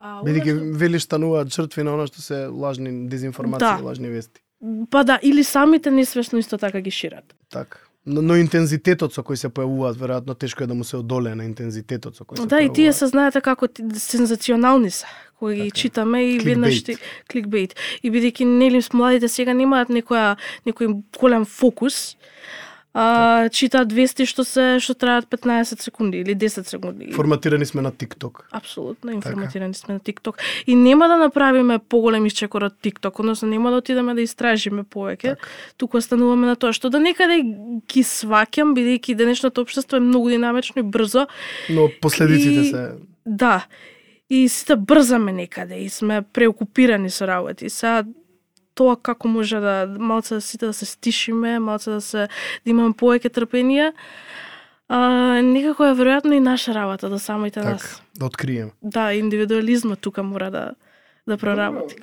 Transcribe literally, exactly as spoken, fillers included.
Бидејќи велиш стануваат жртви на она што се лажни дезинформации, Да. лажни вести. Па да, или самите несвесно исто така ги шират. Така. Но, но интензитетот со кој се појавуваат, веројатно тешко е да му се одолее на интензитетот со кој се Да, појавуваат. и тие се знаете како ти- сензационални се, кои ги читаме и веднаш ти кликбейт. И бидејќи нели младите сега немаат некоја некој голем фокус, а, читаат вести што се што траат петнаесет секунди или десет секунди. Форматирани сме на TikTok. Апсолутно информатирани сме на TikTok. И нема да направиме поголем исчекор од TikTok, односно нема да отидеме да истражиме повеќе. Так. Туку остануваме на тоа што да некаде ги сваќам, бидејќи денешното општество е многу динамично и брзо. Но последиците И- се Да. И сите брзаме некаде и сме преокупирани со работи. Сега тоа како може да малце да сите да се стишиме, малце да се да имаме повеќе трпение. А, некако е веројатно и наша работа да самите така, нас. да откриеме. Да, индивидуализмот тука мора да да проработи.